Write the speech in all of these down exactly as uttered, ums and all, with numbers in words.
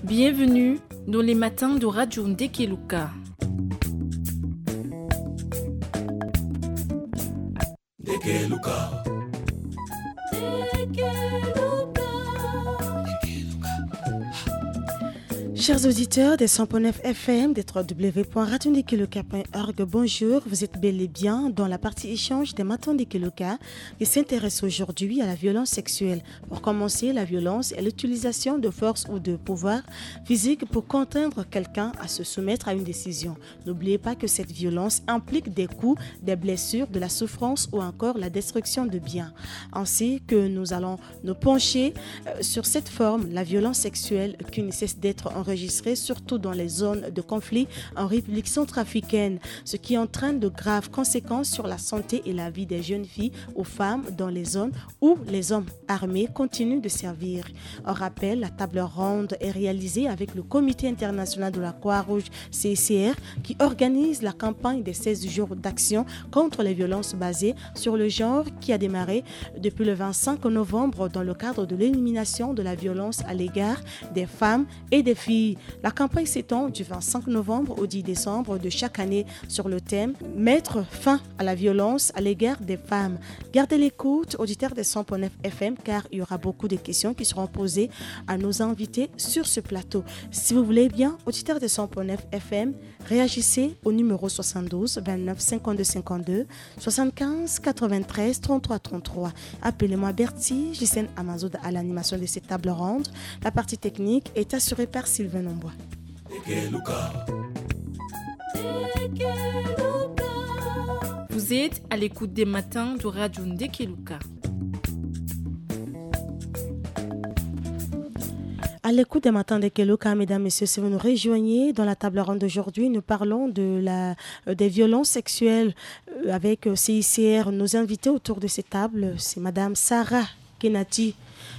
Bienvenue dans les matins de Radio Ndekeluka. Chers auditeurs des cent point neuf F M, des trois W point radio ndekeluka point org, bonjour. Vous êtes bel et bien dans la partie échange des Matins Ndekeluka qui s'intéresse aujourd'hui à la violence sexuelle. Pour commencer, la violence est l'utilisation de force ou de pouvoir physique pour contraindre quelqu'un à se soumettre à une décision. N'oubliez pas que cette violence implique des coups, des blessures, de la souffrance ou encore la destruction de biens. Ainsi que nous allons nous pencher, euh, sur cette forme, la violence sexuelle, qui ne cesse d'être enregistrée, surtout dans les zones de conflit en République centrafricaine, ce qui entraîne de graves conséquences sur la santé et la vie des jeunes filles ou femmes dans les zones où les hommes armés continuent de servir. On rappelle, la table ronde est réalisée avec le Comité international de la Croix-Rouge, C I C R, qui organise la campagne des seize jours d'action contre les violences basées sur le genre, qui a démarré depuis le vingt-cinq novembre dans le cadre de l'élimination de la violence à l'égard des femmes et des filles. La campagne s'étend du vingt-cinq novembre au dix décembre de chaque année sur le thème « Mettre fin à la violence à l'égard des femmes ». Gardez l'écoute, auditeurs des cent point neuf F M, car il y aura beaucoup de questions qui seront posées à nos invités sur ce plateau. Si vous voulez bien, auditeurs des cent point neuf F M, réagissez au numéro soixante-douze vingt-neuf cinquante-deux cinquante-deux, soixante-quinze quatre-vingt-treize trente-trois trente-trois. Appelez-moi Bertie, Gisèle Amazoda à l'animation de cette table ronde. La partie technique est assurée par Sylvain Nombois. Vous êtes à l'écoute des matins de Radio Ndekeluka. À l'écoute des Matins Ndekeluka, mesdames, messieurs, si vous nous rejoignez dans la table ronde d'aujourd'hui, nous parlons de la, euh, des violences sexuelles, euh, avec, euh, C I C R. Nos invités autour de cette table, c'est Madame Sarah Kenati,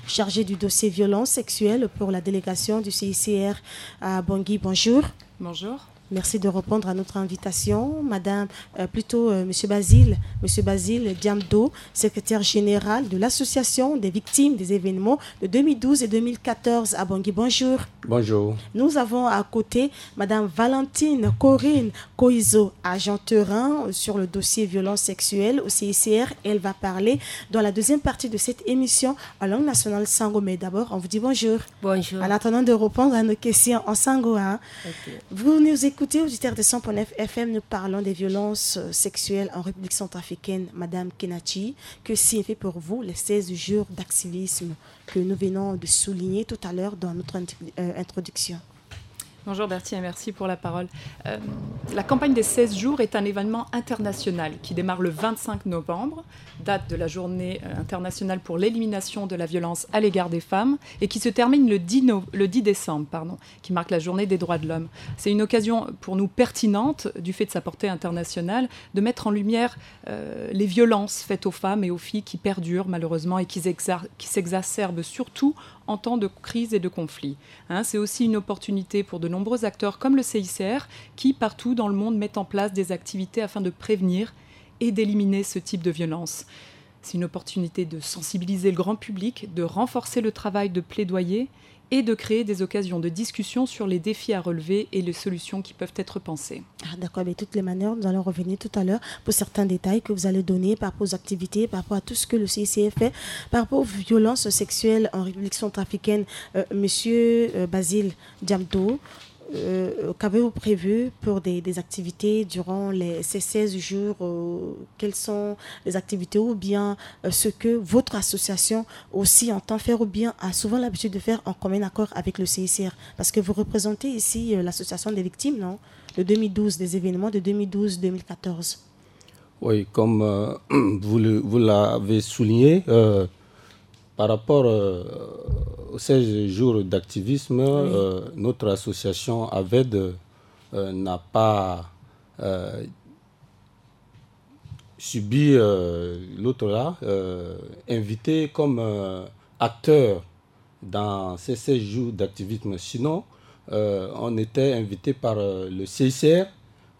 chargée du dossier violence sexuelle pour la délégation du C I C R à Bangui. Bonjour. Bonjour. Merci de répondre à notre invitation. Madame, euh, plutôt, euh, Monsieur Basile, Monsieur Basile Diamdo, secrétaire général de l'Association des victimes des événements de deux mille douze et deux mille quatorze à Bangui. Bonjour. Bonjour. Nous avons à côté Madame Valentine Corinne Koizo, agent terrain sur le dossier violence sexuelle au C I C R. Elle va parler dans la deuxième partie de cette émission en langue nationale Sango. Mais d'abord, on vous dit bonjour. Bonjour. En attendant de répondre à nos questions en Sango, hein. Ok. Vous nous écoutez, auditeurs de cent point neuf F M, nous parlons des violences, euh, sexuelles en République centrafricaine. Madame Kenati, que signifient pour vous les seize jours d'activisme que nous venons de souligner tout à l'heure dans notre int-, euh, introduction ? Bonjour Bertie et merci pour la parole. Euh, la campagne des seize jours est un événement international qui démarre le vingt-cinq novembre, date de la journée, euh, internationale pour l'élimination de la violence à l'égard des femmes, et qui se termine le dix no-, le dix décembre, pardon, qui marque la journée des droits de l'homme. C'est une occasion pour nous pertinente, du fait de sa portée internationale, de mettre en lumière, euh, les violences faites aux femmes et aux filles qui perdurent malheureusement et qui s'exar-, qui s'exacerbent surtout en temps de crise et de conflit. Hein, c'est aussi une opportunité pour de nombreux acteurs comme le C I C R qui, partout dans le monde, mettent en place des activités afin de prévenir et d'éliminer ce type de violence. C'est une opportunité de sensibiliser le grand public, de renforcer le travail de plaidoyer et de créer des occasions de discussion sur les défis à relever et les solutions qui peuvent être pensées. Ah, d'accord, mais de toutes les manières, nous allons revenir tout à l'heure pour certains détails que vous allez donner par rapport aux activités, par rapport à tout ce que le C I C R fait, par rapport aux violences sexuelles en République centrafricaine. Euh, monsieur, euh, Basile Diamdo, euh, qu'avez-vous prévu pour des, des activités durant les, ces seize jours, euh, quelles sont les activités ou bien, euh, ce que votre association aussi entend faire ou bien a souvent l'habitude de faire en commun accord avec le C I C R ? Parce que vous représentez ici, euh, l'association des victimes, non ? De deux mille douze, des événements de deux mille douze deux mille quatorze. Oui, comme, euh, vous le, vous l'avez souligné, euh, par rapport, euh, aux seize jours d'activisme, oui, euh, notre association AVED, euh, n'a pas, euh, subi, euh, l'autre là, euh, invité comme, euh, acteur dans ces seize jours d'activisme. Sinon, euh, on était invité par, euh, le C I C R,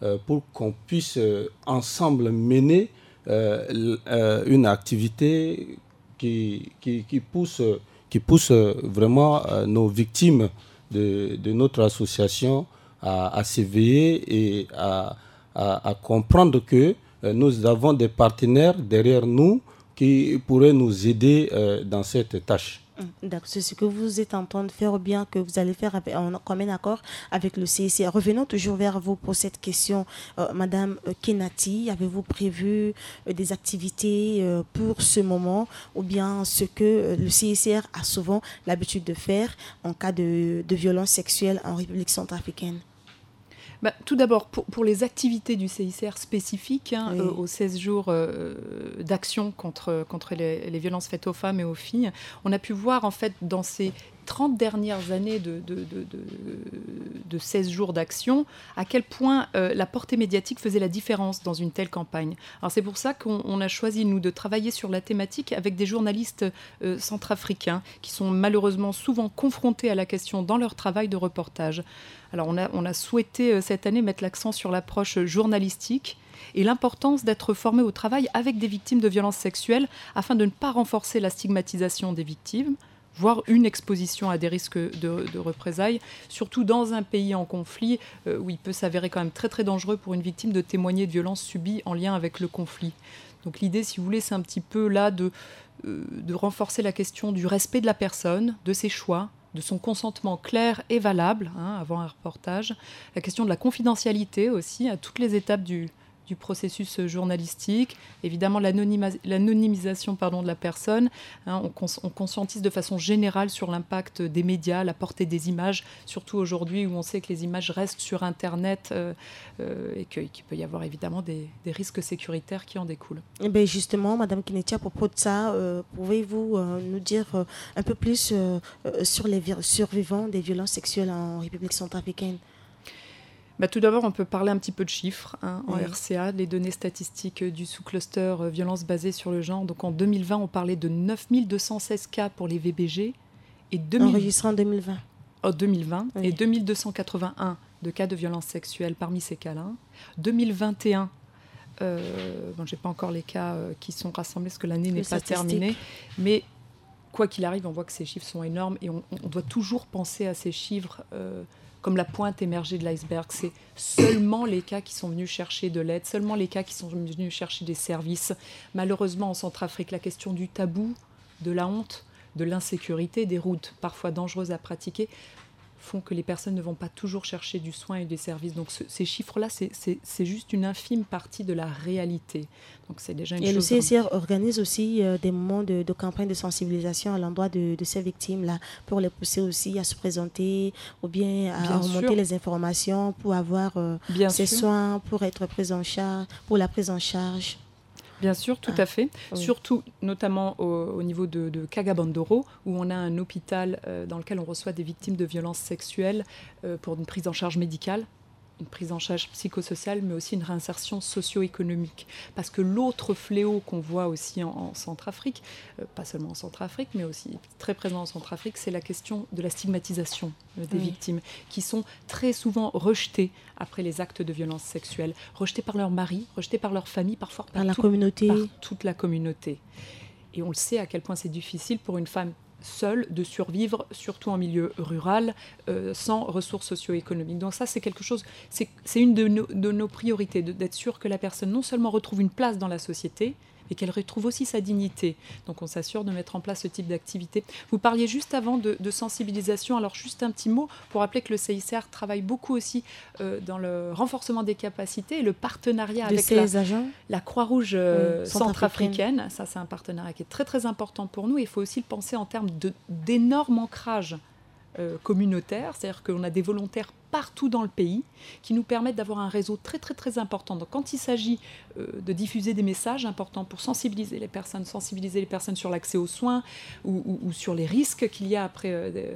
euh, pour qu'on puisse, euh, ensemble mener, euh, l-, euh, une activité qui, qui, qui pousse, qui pousse, euh, vraiment, euh, nos victimes de, de notre association à, à s'éveiller et à, à, à comprendre que euh, nous avons des partenaires derrière nous qui pourraient nous aider euh, dans cette tâche. Donc, c'est ce que vous êtes en train de faire ou bien que vous allez faire avec, en commun accord avec le C I C R. Revenons toujours vers vous pour cette question, euh, Madame euh, Kenati. Avez-vous prévu euh, des activités euh, pour ce moment ou bien ce que euh, le C I C R a souvent l'habitude de faire en cas de, de violence sexuelle en République centrafricaine ? Bah, tout d'abord, pour, pour les activités du C I C R spécifiques hein, oui. euh, aux seize jours euh, d'action contre, contre les, les, violences faites aux femmes et aux filles, on a pu voir en fait dans ces trente dernières années de, de, de, de, de seize jours d'action, à quel point euh, la portée médiatique faisait la différence dans une telle campagne. Alors c'est pour ça qu'on a choisi, nous, de travailler sur la thématique avec des journalistes euh, centrafricains qui sont malheureusement souvent confrontés à la question dans leur travail de reportage. Alors on a, on a souhaité euh, cette année mettre l'accent sur l'approche journalistique et l'importance d'être formé au travail avec des victimes de violences sexuelles afin de ne pas renforcer la stigmatisation des victimes, voire une exposition à des risques de, de représailles, surtout dans un pays en conflit euh, où il peut s'avérer quand même très très dangereux pour une victime de témoigner de violences subies en lien avec le conflit. Donc l'idée, si vous voulez, c'est un petit peu là de, euh, de renforcer la question du respect de la personne, de ses choix, de son consentement clair et valable hein, avant un reportage, la question de la confidentialité aussi à toutes les étapes du, du processus journalistique, évidemment l'anonymisation pardon, de la personne. Hein, on, cons on, conscientise de façon générale sur l'impact des médias, la portée des images, surtout aujourd'hui où on sait que les images restent sur Internet euh, euh, et qu'il peut y avoir évidemment des, des, risques sécuritaires qui en découlent. Et eh bien justement, Madame Kineti, à propos de ça, euh, pouvez-vous euh, nous dire euh, un peu plus euh, sur les survivants des violences sexuelles en République centrafricaine ? Bah, tout d'abord, on peut parler un petit peu de chiffres. Hein, en oui. R C A, les données statistiques du sous-cluster euh, violence basée sur le genre. Donc en deux mille vingt, on parlait de neuf mille deux cent seize cas pour les V B G. Et deux mille... Enregistrés en deux mille vingt. En deux mille vingt. Oui. Et deux mille deux cent quatre-vingt-un de cas de violence sexuelle parmi ces cas-là. deux mille vingt et un, euh, bon, j'ai pas encore les cas euh, qui sont rassemblés parce que l'année n'est pas terminée. Mais quoi qu'il arrive, on voit que ces chiffres sont énormes et on, on doit toujours penser à ces chiffres euh, comme la pointe émergée de l'iceberg. C'est seulement les cas qui sont venus chercher de l'aide, seulement les cas qui sont venus chercher des services. Malheureusement, en Centrafrique, la question du tabou, de la honte, de l'insécurité, des routes parfois dangereuses à pratiquer, font que les personnes ne vont pas toujours chercher du soin et des services. Donc ce, ces chiffres-là, c'est juste une infime partie de la réalité. Donc c'est déjà une et chose le C I C R organise aussi euh, des moments de, de, campagne de sensibilisation à l'endroit de, de, ces victimes-là, pour les pousser aussi à se présenter ou bien à bien remonter sûr. Les informations pour avoir euh, ces sûr. Soins, pour être prise en charge, pour la prise en charge. Bien sûr, tout ah, à fait. Oui. Surtout, notamment au, au niveau de, de Kagabandoro, où on a un hôpital euh, dans lequel on reçoit des victimes de violences sexuelles euh, pour une prise en charge médicale, une prise en charge psychosociale, mais aussi une réinsertion socio-économique. Parce que l'autre fléau qu'on voit aussi en, en Centrafrique, euh, pas seulement en Centrafrique, mais aussi très présent en Centrafrique, c'est la question de la stigmatisation euh, des oui. Victimes, qui sont très souvent rejetées après les actes de violence sexuelle, rejetées par leur mari, rejetées par leur famille, parfois par, par la tout, communauté. Par toute la communauté. Et on le sait à quel point c'est difficile pour une femme seule de survivre, surtout en milieu rural, euh, sans ressources socio-économiques. Donc ça, c'est quelque chose, c'est une de nos, de nos priorités, d'être sûr que la personne non seulement retrouve une place dans la société, et qu'elle retrouve aussi sa dignité. Donc on s'assure de mettre en place ce type d'activité. Vous parliez juste avant de, de sensibilisation. Alors juste un petit mot pour rappeler que le C I C R travaille beaucoup aussi euh, dans le renforcement des capacités et le partenariat de avec la, la Croix-Rouge euh, oui, centrafricaine. Ça, c'est un partenariat qui est très très important pour nous. Il faut aussi le penser en termes d'énorme ancrage euh, communautaire, c'est-à-dire qu'on a des volontaires partout dans le pays qui nous permettent d'avoir un réseau très très très important. Donc quand il s'agit euh, de diffuser des messages importants pour sensibiliser les personnes, sensibiliser les personnes sur l'accès aux soins ou, ou, ou sur les risques qu'il y a après euh, des,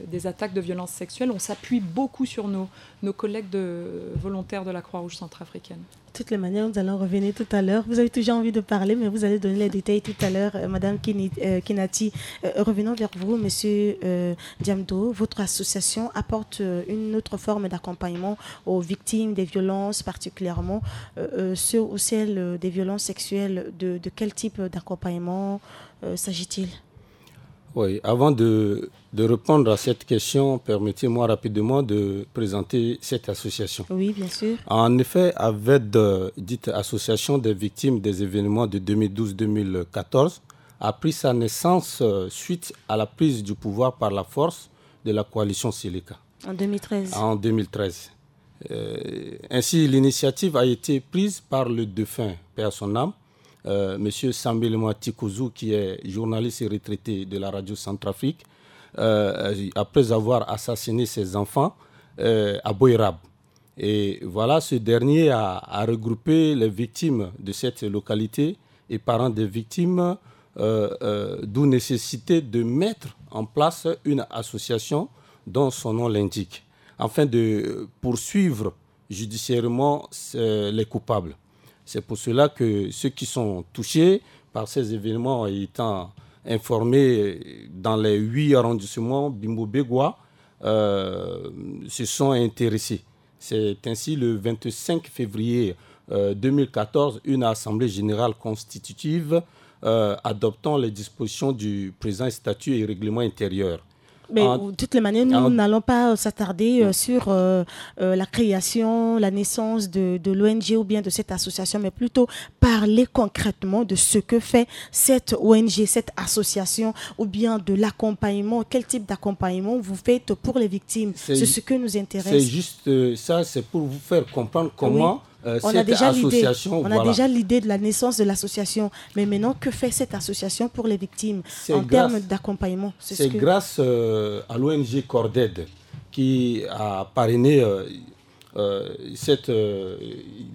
des, attaques de violence sexuelle, on s'appuie beaucoup sur nos, nos collègues de, volontaires de la Croix-Rouge centrafricaine. De toutes les manières, nous allons revenir tout à l'heure. Vous avez toujours envie de parler, mais vous allez donner les détails tout à l'heure. Euh, Madame Kini, euh, Kinati, euh, revenons vers vous, Monsieur euh, Diamdo. Votre association apporte euh, une autre forme d'accompagnement aux victimes des violences, particulièrement euh, euh, ceux ou celles euh, des violences sexuelles. De, de quel type d'accompagnement euh, s'agit-il ? Oui, avant de, de répondre à cette question, permettez-moi rapidement de présenter cette association. Oui, bien sûr. En effet, AVED, euh, dite Association des victimes des événements de deux mille douze deux mille quatorze, a pris sa naissance, euh, suite à la prise du pouvoir par la force de la coalition Seleka. En deux mille treize. En deux mille treize. Euh, ainsi, l'initiative a été prise par le défunt, paix à son âme, euh, monsieur Sambelema Tikouzou, qui est journaliste et retraité de la radio Centrafrique, euh, après avoir assassiné ses enfants, euh, à Boirab. Et voilà, ce dernier a, a regroupé les victimes de cette localité et parents des victimes, euh, euh, d'où nécessité de mettre en place une association dont son nom l'indique, afin de poursuivre judiciairement, euh, les coupables. C'est pour cela que ceux qui sont touchés par ces événements, étant informés dans les huit arrondissements Bimbo Begwa, euh, se sont intéressés. C'est ainsi le vingt-cinq février, euh, deux mille quatorze, une assemblée générale constitutive, euh, adoptant les dispositions du présent statut et règlement intérieur. Mais de toutes les manières, nous n'allons pas, euh, s'attarder, euh, sur, euh, euh, la création, la naissance de, de l'O N G ou bien de cette association, mais plutôt parler concrètement de ce que fait cette O N G, cette association, ou bien de l'accompagnement. Quel type d'accompagnement vous faites pour les victimes ? C'est ce que nous intéresse. C'est juste, euh, ça, c'est pour vous faire comprendre comment, euh, cette association... On a déjà l'idée de la naissance de l'association, mais maintenant, que fait cette association pour les victimes en termes d'accompagnement ? C'est grâce, euh, à l'O N G Corded qui a parrainé, euh, euh, cette, euh,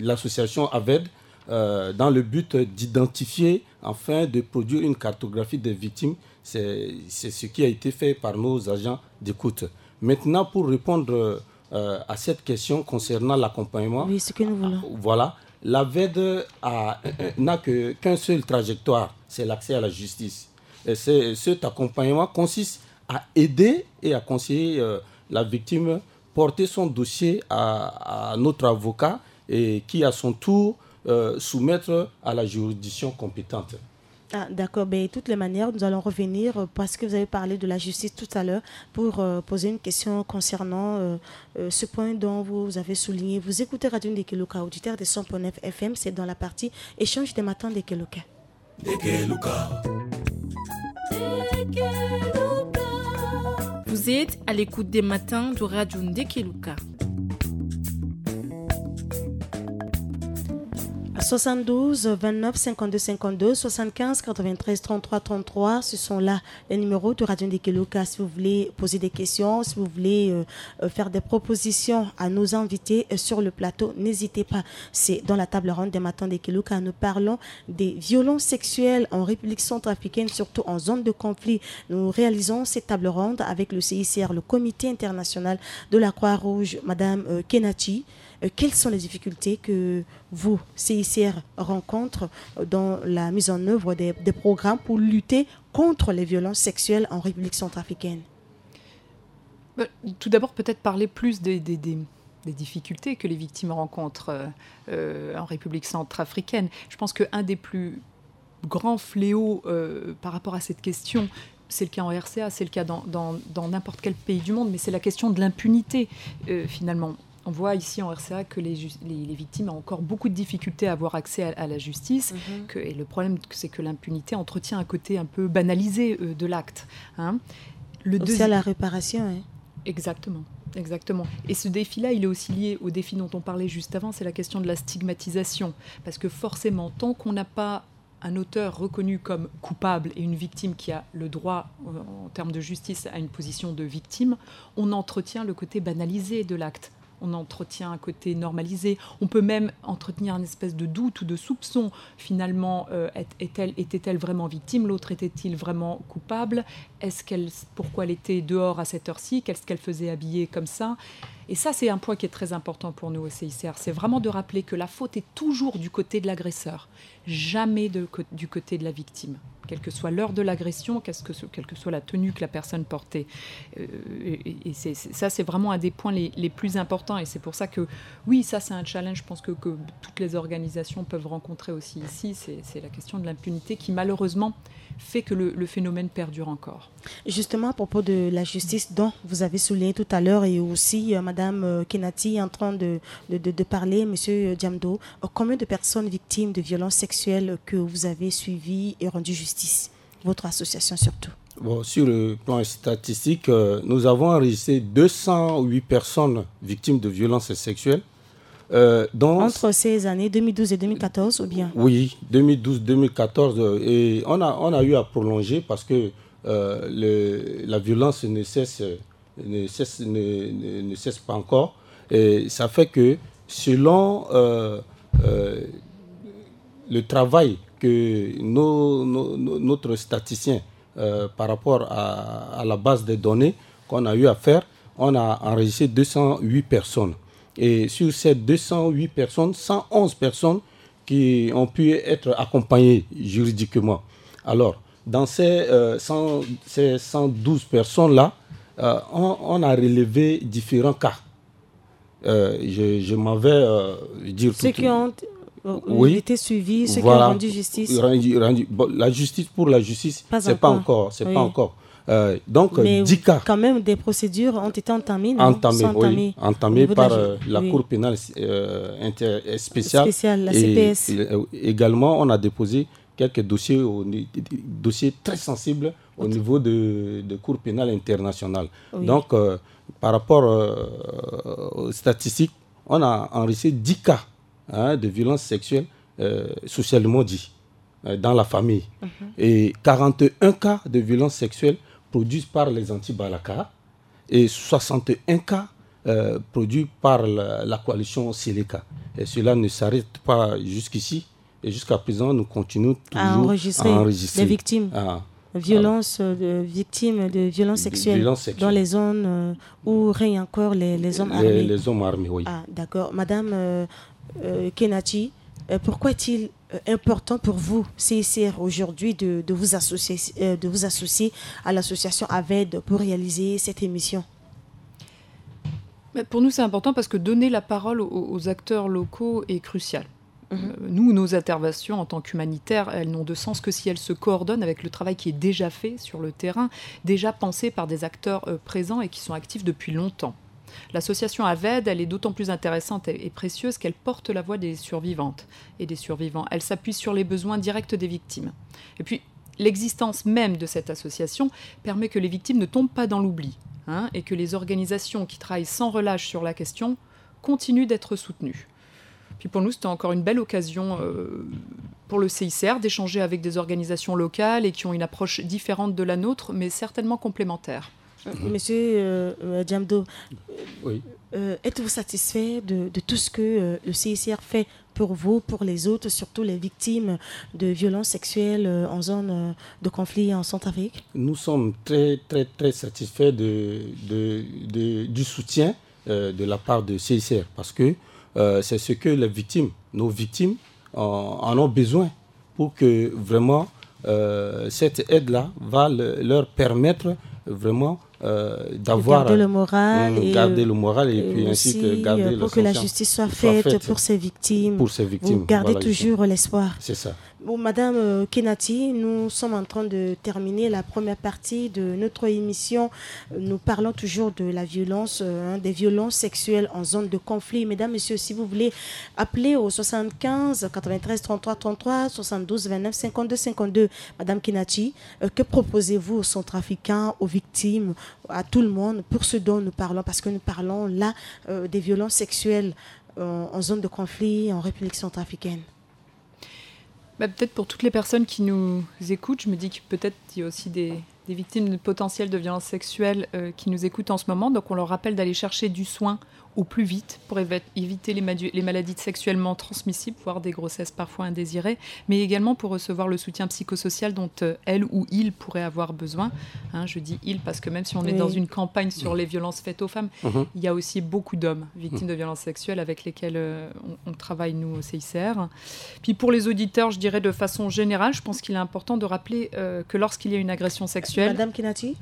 l'association AVED, euh, dans le but d'identifier, afin de produire une cartographie des victimes. C'est, c'est ce qui a été fait par nos agents d'écoute. Maintenant, pour répondre, euh, à cette question concernant l'accompagnement, oui, ce que nous voulons. Voilà, l'AVED a, n'a que, qu'un seul trajectoire, c'est l'accès à la justice. Et c'est, cet accompagnement consiste à aider et à conseiller, euh, la victime porter son dossier à, à notre avocat et qui, à son tour, euh, soumettre à la juridiction compétente. Ah, d'accord. Ben, de toutes les manières, nous allons revenir, euh, parce que vous avez parlé de la justice tout à l'heure, pour, euh, poser une question concernant, euh, euh, ce point dont vous avez souligné. Vous écoutez Radio Ndekeluka, auditeur des cent point neuf F M, c'est dans la partie échange des matins Ndekeluka. Vous êtes à l'écoute des matins de Radio Ndekeluka. Soixante-douze, vingt-neuf, cinquante-deux, cinquante-deux, soixante-quinze, quatre-vingt-treize, trente-trois, trente-trois, ce sont là les numéros de Radio Ndekeluka. Si vous voulez poser des questions, si vous voulez, euh, euh, faire des propositions à nos invités, euh, sur le plateau, n'hésitez pas. C'est dans la table ronde des matins Ndekeluka. Nous parlons des violences sexuelles en République centrafricaine, surtout en zone de conflit. Nous réalisons cette table ronde avec le C I C R, le Comité international de la Croix-Rouge, Madame, euh, Kenachi. Euh, quelles sont les difficultés que vous, C I C R, rencontrez, euh, dans la mise en œuvre des, des programmes pour lutter contre les violences sexuelles en République centrafricaine ? Bah, tout d'abord, peut-être parler plus des, des, des, des difficultés que les victimes rencontrent, euh, euh, en République centrafricaine. Je pense qu'un des plus grands fléaux, euh, par rapport à cette question, c'est le cas en R C A, c'est le cas dans, dans, dans n'importe quel pays du monde, mais c'est la question de l'impunité, euh, finalement. On voit ici en R C A que les, ju- les, les victimes ont encore beaucoup de difficultés à avoir accès à, à la justice. Que, et le problème, c'est que l'impunité entretient un côté un peu banalisé, euh, de l'acte, hein. Le Aussi deuxi- à la réparation, hein. Exactement, exactement. Et ce défi-là, il est aussi lié au défi dont on parlait juste avant, c'est la question de la stigmatisation. Parce que forcément, tant qu'on n'a pas un auteur reconnu comme coupable et une victime qui a le droit, euh, en termes de justice, à une position de victime, on entretient le côté banalisé de l'acte. On entretient un côté normalisé. On peut même entretenir une espèce de doute ou de soupçon. Finalement, euh, est- est-elle- était-elle vraiment victime ? L'autre était-il vraiment coupable ? Est-ce qu'elle, pourquoi elle était dehors à cette heure-ci ? Qu'est-ce qu'elle faisait habillée comme ça ? Et ça, c'est un point qui est très important pour nous au C I C R. C'est vraiment de rappeler que la faute est toujours du côté de l'agresseur, jamais de co- du côté de la victime. quelle que soit l'heure de l'agression, qu'est-ce que ce- quelle que soit la tenue que la personne portait. Euh, et et c'est- c'est- ça, c'est vraiment un des points les, les plus importants. Et c'est pour ça que, oui, ça, c'est un challenge, je pense, que, que toutes les organisations peuvent rencontrer aussi ici. C'est c'est la question de l'impunité qui, malheureusement, fait que le, le phénomène perdure encore. Justement, à propos de la justice dont vous avez souligné tout à l'heure et aussi euh, Madame euh, Kenati est en train de, de, de- de parler, Monsieur Diamdo, euh, combien de personnes victimes de violences sexuelles que vous avez suivies et rendu justice, votre association surtout? Bon, sur le plan statistique, euh, nous avons enregistré deux cent huit personnes victimes de violences sexuelles. Euh, dont- Entre ces années deux mille douze et deux mille quatorze, ou bien? Oui, deux mille douze, deux mille quatorze, euh, et on a, on a eu à prolonger parce que euh, le- la violence ne cesse, ne cesse, ne, ne- ne cesse pas encore. Et ça fait que selon euh, euh, le travail que nos- nos- nos- notre statisticien, euh, par rapport à, à la base des données qu'on a eu à faire, on a enregistré deux cent huit personnes. Et sur ces deux cent huit personnes, cent onze personnes qui ont pu être accompagnées juridiquement. Alors, dans ces, euh, cent, ces cent douze personnes-là, euh, on, on a relevé différents cas. Euh, je, je m'en vais euh, dire Ceux tout- qui ont euh, Oui. été suivis, ceux Voilà. qui ont rendu justice. Rendu- rendu- bon, la justice pour la justice, Pas c'est pas encore. encore, c'est Oui. pas encore. Euh, donc euh, Mais dix cas quand même, des procédures ont été entamées, non? entamées, Sont entamées oui, au entamées niveau de par la ju- euh, la oui. Cour pénale euh, inter- spéciale. Spéciale, la Et, C P S. et, euh, également, on a déposé quelques dossiers, au ni- dossiers très sensibles au Autre- niveau de, de Cour pénale internationale. Oui. Donc, euh, par rapport euh, aux statistiques, on a enregistré dix cas hein, de violence sexuelle euh, socialement dit euh, dans la famille. Mhm. Et quarante et un cas de violence sexuelle produits par les anti-Balaka et soixante et un cas euh, produits par la, la coalition Seleka. Et cela ne s'arrête pas jusqu'ici. Et jusqu'à présent, nous continuons toujours À enregistrer à enregistrer. Des victimes. Ah, Violence, euh, de, victimes de violences Des sexuelles violences sexuelles. Dans les zones euh, où règnent encore les, les hommes les, armés. Les hommes armés, oui. Ah, d'accord. Madame euh, euh, Kenati, euh, pourquoi est-il euh, important pour vous, C I C R, aujourd'hui, de, de vous associer, euh, de vous associer à l'association AVED pour réaliser cette émission ? Mais pour nous, c'est important parce que donner la parole aux, aux acteurs locaux est crucial. Mhm. Euh, Nous, nos interventions en tant qu'humanitaires, elles n'ont de sens que si elles se coordonnent avec le travail qui est déjà fait sur le terrain, déjà pensé par des acteurs euh, présents et qui sont actifs depuis longtemps. L'association AVED, elle est d'autant plus intéressante et, et précieuse qu'elle porte la voix des survivantes et des survivants. Elle s'appuie sur les besoins directs des victimes. Et puis, l'existence même de cette association permet que les victimes ne tombent pas dans l'oubli, hein, et que les organisations qui travaillent sans relâche sur la question continuent d'être soutenues. Puis pour nous, c'était encore une belle occasion euh, pour le C I C R d'échanger avec des organisations locales et qui ont une approche différente de la nôtre, mais certainement complémentaire. Monsieur euh, euh, Diamdo, Oui. euh, êtes-vous satisfait de, de tout ce que euh, le C I C R fait pour vous, pour les autres, surtout les victimes de violences sexuelles euh, en zone euh, de conflit en Centrafrique ? Nous sommes très, très, très satisfaits de, de, de- du soutien euh, de la part de C I C R parce que euh, c'est ce que les victimes, nos victimes, en, en ont besoin pour que vraiment euh, cette aide-là va le- leur permettre vraiment euh, d'avoir Garder le moral Mm, et, garder euh, le moral et, et puis ainsi aussi garder euh, le pour que la soutien justice soit soit faite, faite pour ces victimes. pour ces victimes. Vous gardez Voilà, toujours l'espoir. C'est ça. Bon, Madame euh, Kenati, nous sommes en train de terminer la première partie de notre émission. Euh, Nous parlons toujours de la violence, euh, hein, des violences sexuelles en zone de conflit. Mesdames, Messieurs, si vous voulez appeler au soixante-quinze quatre-vingt-treize trente-trois trente-trois, soixante-douze vingt-neuf cinquante-deux cinquante-deux, Madame Kenati, euh, que proposez-vous aux Centrafricains, aux victimes, à tout le monde, pour ce dont nous parlons, parce que nous parlons là euh, des violences sexuelles euh, en zone de conflit en République centrafricaine ? Bah, peut-être pour toutes les personnes qui nous écoutent, je me dis que peut-être il y a aussi des, des victimes potentielles de violences sexuelles euh, qui nous écoutent en ce moment. Donc on leur rappelle d'aller chercher du soin au plus vite pour évi- éviter les, madu- les maladies sexuellement transmissibles, voire des grossesses parfois indésirées, mais également pour recevoir le soutien psychosocial dont euh, elle ou il pourrait avoir besoin. Hein, je dis il parce que même si on est dans une campagne sur les violences faites aux femmes, il y a aussi beaucoup d'hommes victimes de violences sexuelles avec lesquels euh, on, on travaille, nous, au C I C R. Puis pour les auditeurs, je dirais de façon générale, je pense qu'il est important de rappeler euh, que lorsqu'il y a une agression sexuelle... Madame Kinati,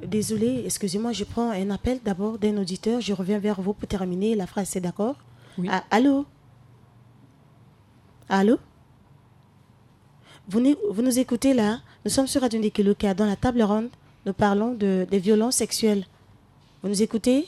désolée, excusez-moi, je prends un appel d'abord d'un auditeur. Je reviens vers vous pour terminer la phrase, c'est d'accord ? Oui. Ah, allô ? Allô ? Vous nous, vous nous écoutez là ? Nous sommes sur Radio Ndikeluka. Dans la table ronde, nous parlons de, des violences sexuelles. Vous nous écoutez ?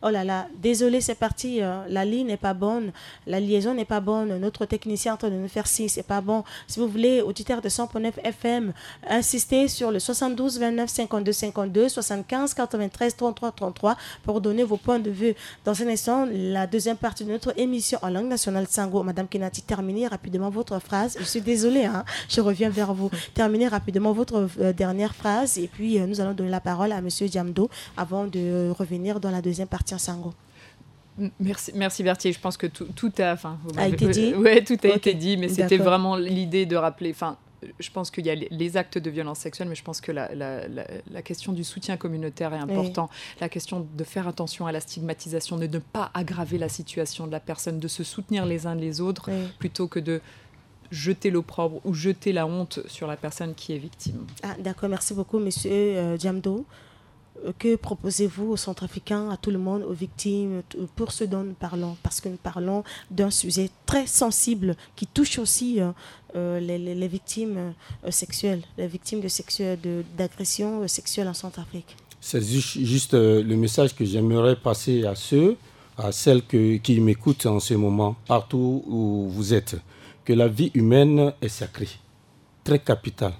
Oh là là, désolé, c'est parti, euh, la ligne n'est pas bonne, la liaison n'est pas bonne, notre technicien est en train de nous faire signe, c'est pas bon. Si vous voulez, auditeur de cent point neuf F M, insistez sur le soixante-douze vingt-neuf cinquante-deux cinquante-deux, soixante-quinze quatre-vingt-treize trente-trois trente-trois pour donner vos points de vue. Dans un instant, la deuxième partie de notre émission en langue nationale, Sango. Madame Kinati, terminez rapidement votre phrase. Je suis désolée, hein, je reviens vers vous. Terminez rapidement votre euh, dernière phrase et puis euh, nous allons donner la parole à Monsieur Diamdo avant de revenir dans la deuxième partie en Sango. Merci, merci Berthier. Je pense que tout, tout a, enfin, vous m'avez- été dit. Euh, ouais, tout a été dit, mais c'était vraiment l'idée de rappeler. Enfin, je pense qu'il y a les, les actes de violence sexuelle, mais je pense que la, la, la, la question du soutien communautaire est importante. La question de faire attention à la stigmatisation, de ne pas aggraver la situation de la personne, de se soutenir les uns les autres, plutôt que de jeter l'opprobre ou jeter la honte sur la personne qui est victime. Ah, d'accord, merci beaucoup, monsieur euh, Diamdo. Euh, que proposez-vous aux Centrafricains, à tout le monde, aux victimes, t- pour ce dont nous parlons ? Parce que nous parlons d'un sujet très sensible qui touche aussi euh, euh, les, les- les victimes euh, sexuelles, les victimes de sexuelles, de- d'agressions euh, sexuelles en Centrafrique. C'est ju- juste euh, le message que j'aimerais passer à ceux, à celles que- qui m'écoutent en ce moment, partout où vous êtes, que la vie humaine est sacrée, très capitale.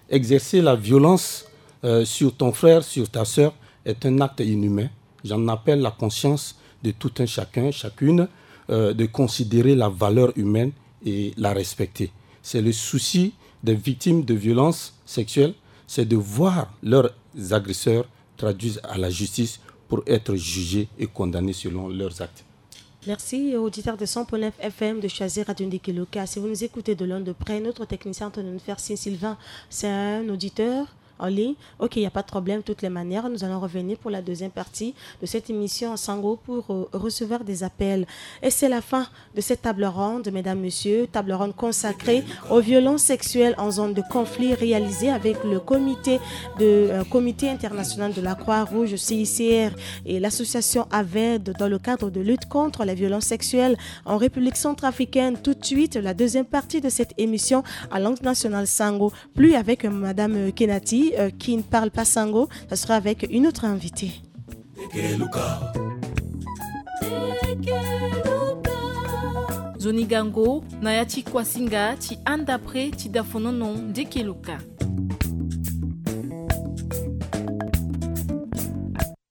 Exercer la violence euh, sur ton frère, sur ta sœur, est un acte inhumain. J'en appelle la conscience de tout un chacun, chacune, euh, de considérer la valeur humaine et la respecter. C'est le souci des victimes de violences sexuelles, c'est de voir leurs agresseurs traduits à la justice pour être jugés et condamnés selon leurs actes. Merci aux auditeurs de cent point neuf F M de choisir Radio Ndikeluka. Si vous nous écoutez de loin, de près, notre technicien est en train de nous faire signe, Sylvain, c'est un auditeur en ligne. Ok, il n'y a pas de problème. De toutes les manières, nous allons revenir pour la deuxième partie de cette émission en Sango pour euh, recevoir des appels. Et c'est la fin de cette table ronde, mesdames, messieurs, table ronde consacrée aux violences sexuelles en zone de conflit réalisée avec le comité, de, euh, comité international de la Croix-Rouge, C I C R, et l'association AVED dans le cadre de lutte contre les violences sexuelles en République centrafricaine. Tout de suite, la deuxième partie de cette émission à langue nationale Sango. Plus avec euh, Madame euh, Kenati, euh, qui ne parle pas Sango, ça sera avec une autre invitée. Nzoni gango na ya ti kuasinga ti anda pre ti dafonono Ndeke Luka.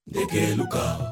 Ndeke Luka.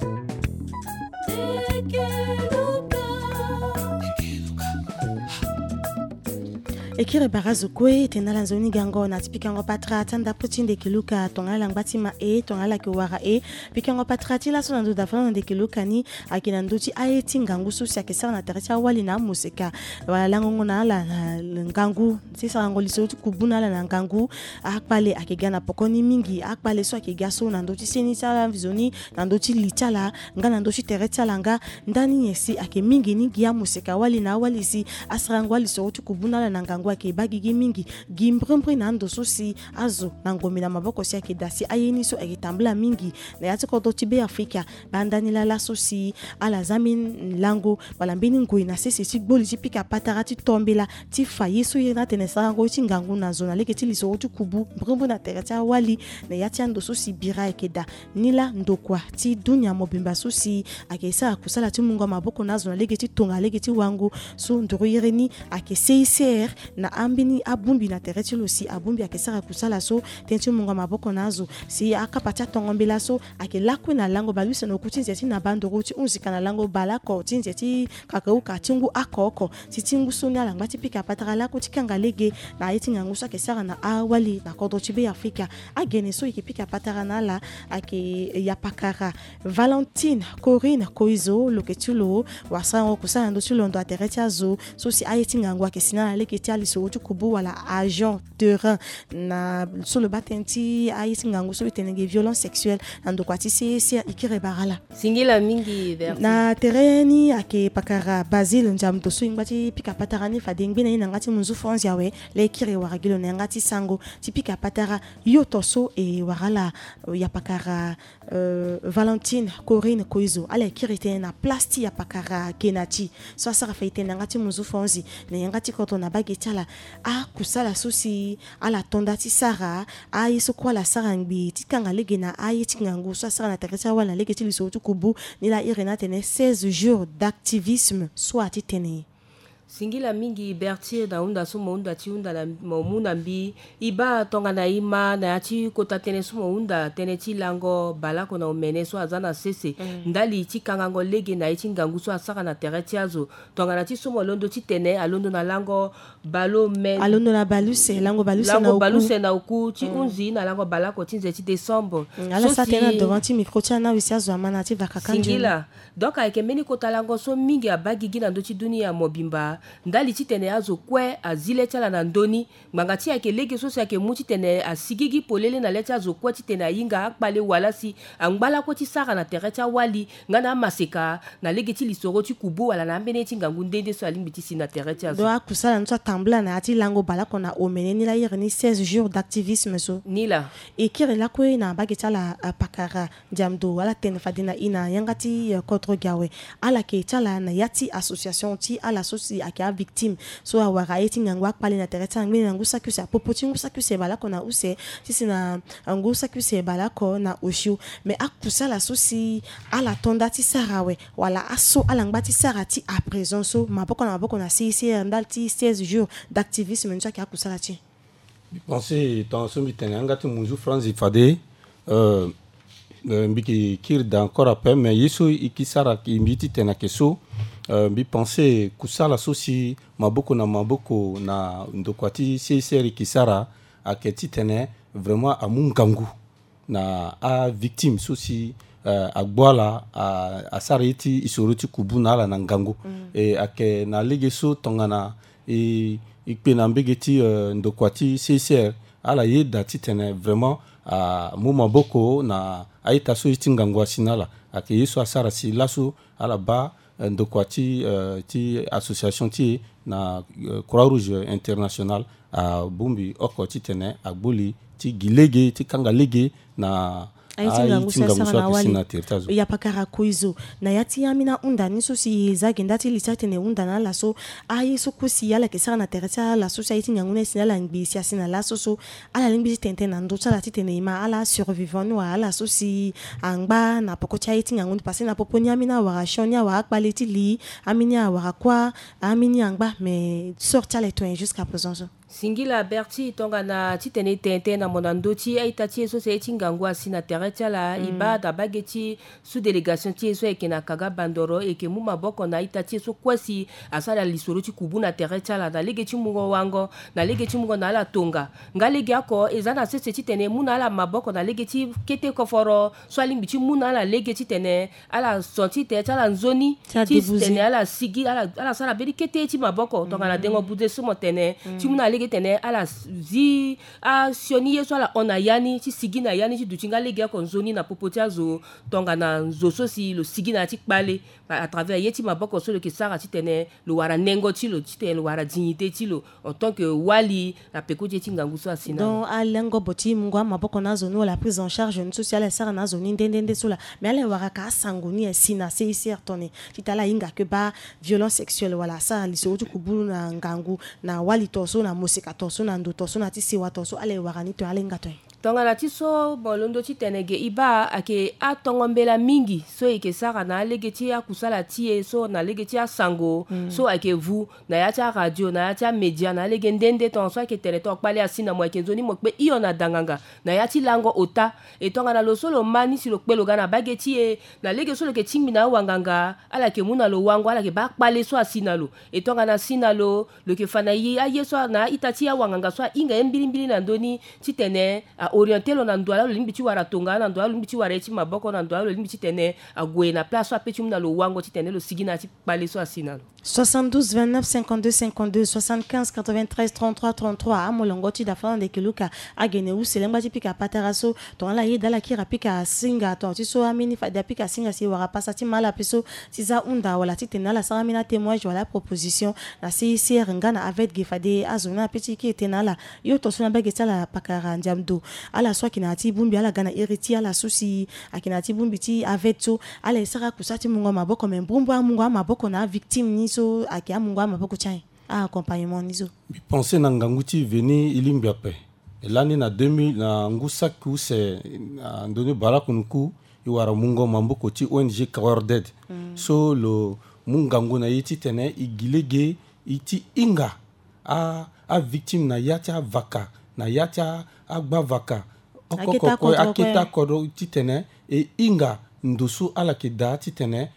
Ekiri bara zo kue tene ala nzoni gango na ti pikango patara ti anda pre ti Ndeke Luka tongana ala ngba ti ma e tongana ala yeke wara e. Pikango patara ti laso na ndo dafa na Ndeke Luka ni ayeke na ndö ti aye ti ngangu so si ayeke sara na tere ti awali na amoseka. Wala langongo na ala na ngangu ti sarango lisoro ti kubu na ala na ngangu. Akpale ayeke ga na poko ni mingi. Akpale so ayeke ga so na ndö ti seni ti ala nzoni, na ndö ti li ti ala nga na ndö ti tere ti ala nga. Ndani nyen si ayeke mingi ni gi amoseka wali na awali si asarango alisoro ti kubu na ala na ngangu ayeke baa gigi mingi. Gi mbrimbri na ando so si azo na ngombe na maboko si ayeke daa si aye ni so ayeke tambula mingi na ya ti kodro ti Beafrika. Baa ndani laa laso si ala za mbeni lango wala mbeni ngoi na sese ti gboli ti pika patara ti to mbela ti fa ye so iri ni atene sarango ye ti ngangu na zo na lege ti lisoro ti kubu mbrimbri na tere ti awali na ya ti ando so si bira ayeke daa. Ni laa ndokua ti dunia mobimba so si ayeke sara kusala ti mungo maboko na azo na lege ti tonga lege ti wango so nduru iri ni ayeke C I C R. na ambeni abongbi na tere ti lo si abongbi ayeke sara kusala so tënë ti mungo maboko na azo si akapa ti atongo mbela so ayeke lakue na lango bale use na oku ti nze ti na bandoro ti hunzi ka na lango baleoko ti nze ti kakauka ti ngu oko oko. Si ti ngu so ni ala ngba ti pika patara lakue ti kanga lege na aye ti ngangu so ayeke sara na awali na kodro ti Be Afrika. Agene so e yeke pika patara na ala ayeke yapakara Valentine Corinne Koizo, lo yeke ti lo wasarango kusala na ndö ti londo na tere ti azo so si aye ti ngangu ayeke si na ala lege ti alisoro ti kubu wala agent terrain na so lo baa tënë ti aye ti ngangu so lo tene ge violence sexuelle na ndokua ti C E C R. E kiri bara ala. Singila mingi, Berthe. Na tere ni ayeke pakara Basile Ndiamdo so e ngba ti pika patara ni fade e ngbe na ye na yanga ti munzu Franzi awe. Laa e kiri wara gi lo na yanga ti sango ti pika patara yoto so e wara ala, yapakara euh, Valentine Corinne Koizo, ala e kiri tënë na place ti yapakara Kenati so asara fa e tene na yanga ti munzu Franzi na yanga ti kodro na baa ge ti ala. Akusala so si ala to nda ti sara, aye so kue ala sara ngbii ti kanga lege na aye ti ngangu so asara na tere ti awali na lege ti lisoro ti kubu, ni laa a iri ni atene seize jours d'activisme so ati tene. Singila mingi, Berthe, na hunda so mo hunda ti hunda na mo mu na mbi. E baa tongana e ma na ya ti kota tënë so mo hunda, tënë ti lango baleoko na omene so aza na sese ndali ti kangango lege na ye ti ngangu so asara na tere ti azo. Tongana ti so mo londo ti tene alondo na lango baleomene, alondo na baleuse, lango baleuse na oku, baleuse na oku ti hunzi na lango baleoko ti nze ti décembre. Mm, ala so sara tënë na devant ti micro ti ana use azo ama na ya ti vakaka nzoni. Singila. Donc ayeke mbeni kota lango so mingi abaa gigi na ndö ti dunia mobimba, ndali titene azo kue azi le ti ala na ndö ni. Ngbanga ti e ayeke lege so si ayeke mu titene asigigi polele na le ti azo kue titene ahinga akpale wala si angba lakue ti sara na tere ti awali nga na amaseka na lege ti lisoro ti kubu wala na ambeni ye ti ngangu nde nde so alingbi ti si na tere ti azo. Donc akusala ni so atambula na ya ti lango baleoko na omene ni laa iri ni seize jours d'activisme so. Ni laa. E kiri lakue na mbage ti ala, ah, pakara Ndiamdo, ala tene fade na e na yanga ti, eh, kodro gi awe. Ala yeke ti ala na ya ti association ti ala so si ayeke avictime so awara aye ti ngangu akpale na tere ti ala ngbene na ngu saki use, apopo ti ngu saki use baleoko na use ti si na ngu saki use baleoko na osio. Mais akusala so si ala to nda ti sara awe wala aso ala ngba ti sara ti à présent so maboko na maboko na C I C R ndali ti seize jours d'activisme ni so ayeke akusala ti e. Mbi pense tongana so mbi tene yanga ti munzu Franzi fade, euh, euh, mbi yeke kiri daa encore après, mais ye so e ke sara, mbi ye ti tene ayeke so, euh, mbi pense kusala so si maboko na maboko na ndokua ti C I C R e ke sara ayeke titene vraiment amu ngangu na avictime so si, euh, agbu ala, a, asara ye ti e soro ti kubu na ala na ngangu. Mm. E ayeke na lege so tongana e, e kpe na mbege ti, euh, ndokua ti C I C R, ala yeda titene vraiment amu maboko na a-ita so ye ti ngangu asi na ala. Ayeke ye so asara si laso ala baa, euh, ndokua ti, euh, ti association ti e na, euh, Croix Rouge Internationale abongbi oko titene agbu li ti gi lege ti kanga lege na aye ti ngangu si asara na wali. Yapakara Koizo, na ya ti ambeni ahunda ni so si e za ge nda ti li ti atene e hunda na ala so, aye so kue si ala yeke sara na tere ti ala so si aye ti ngangu ni asi na ala ngbii si asi na laso so, ala lingbi ti tene tënë na ndö ti ala titene e ma ala survivant ni wala ala so si angba na poko ti aye ti ngangu ni, parce que na popo ni ambeni awara sioni, awara akpale ti li, ambeni awara kuâ, ambeni angba, mais sort ti ala e to nyen jusqu'à présent so? Singila Berti, tongana titene e tene tënë na mo na ndö ti a-ita ti e so si aye ti ngangu asi na tere ti ala, e baa daa mbage ti sous-délégation ti e so ayeke na Kaga Bandoro, e yeke mu maboko na a-ita ti e so kue si asara lisoro ti kubu na tere ti ala na lege ti mungo wango, na lege ti mungo na ala tonga. Nga legeoko e za na sese titene e mu na ala maboko na lege ti kete koforo so alingbi ti mu na ala lege titene ala so ti tere ti ala nzoni, ti tene ala sigi, ala, ala sara mbeni kete ti maboko tongana dengo buze so mo tene, ti mu na ala lege titene ala zi asioni ye so ala hon na ya ni ti sigi na ya ni ti duti nga legeoko nzoni na popo ti azo tongana nzo so si lo sigi na ya ti kpale à travers ye ti maboko so lo yeke sara titene lo wara nengo ti lo, titene lo wara dignité ti lo en tant que wali na peko ti ye ti ngangu so asi na ala. Donc alengo bo ti mungo amaboko na azo ni wala prise en charge ni so si ala e sara na azo ni nde nde nde so laa, mais ala e wara ka asango ni asi na C I C R tongana titene ala hinga ke baa violence sexuelle wala asara lisoro ti kubu na ngangu na wali to so, na moseka to so, na ndo to so, na ti sewa to so, ala e wara ni tongana ala hinga tongana nyen? Tongana ti so mo londo titene ge e baa ayeke atongo mbela mingi so e yeke sara na alege ti akusala ti e so na lege ti asango so ayeke vu na ya ti aradio na ya ti amedia na alege nde nde tongaso ayeke tene tonga kpale asi na mo ayeke nzoni mo kpe hio na danganga na ya ti lango ota. E tongana lo so lo ma ni si lo kpe lo ga na bage ti e na lege so lo yeke tingbi na awanganga ala yeke mu na lo wango ala yeke baa kpale so asi na lo. E tongana asi na lo lo yeke fa na ye aye so na a-ita ti awanganga so ahinga ye mbilimbili na ndö ni titene a-oriente lo na ndo ala lo lingbi ti wara tonga na ndo ala lo lingbi ti wara ye ti maboko na ndo ala lo lingbi titene ague na place so ape ti mu na lo wango titene lo sigi na ya ti kpale so asi na lo. Soixante-douze vingt-neuf cinquante-deux cinquante-deux, soixante-quinze quatre-vingt-treize trente-trois trente-trois. Amolongo ti da fana ndeke luka agene use lengba ti pika patara so tongana ala yeda ala kiri apika asinga tonga ti so ambeni fade apika asinga si wara pasa ti ma ala ape so ti za hunda wala titene ala sara ambeni atémoignage wala aproposition na C I C R nga na aveugle ge fade azo ni ape ti kiri tënë na ala. Hio tongaso na bage ti ala pakara ndiamdo ala so ayeke na ya ti bongbi ala ga na iri ti ala so si ayeke na ya ti bongbi ti aveugle so ala e sara akusa ti mungo amaboko me mbrumbu amungo amaboko na avictime ni so ayeke amungo amaboko ti ayen. Accompagnement ni so. Mbi pense na ngangu ti veni e lingbi ape. E lani na deux mille na ngu saki use na ndoni barakunuku e wara mungo maboko ti O N G Cowarded so lo mu ngangu na e titene e gi lege e ti hinga a avictime na ya ti avaka na ya ti agbavaka oko oko kue akete akodro titene e hinga ndo so ala yeke daa titene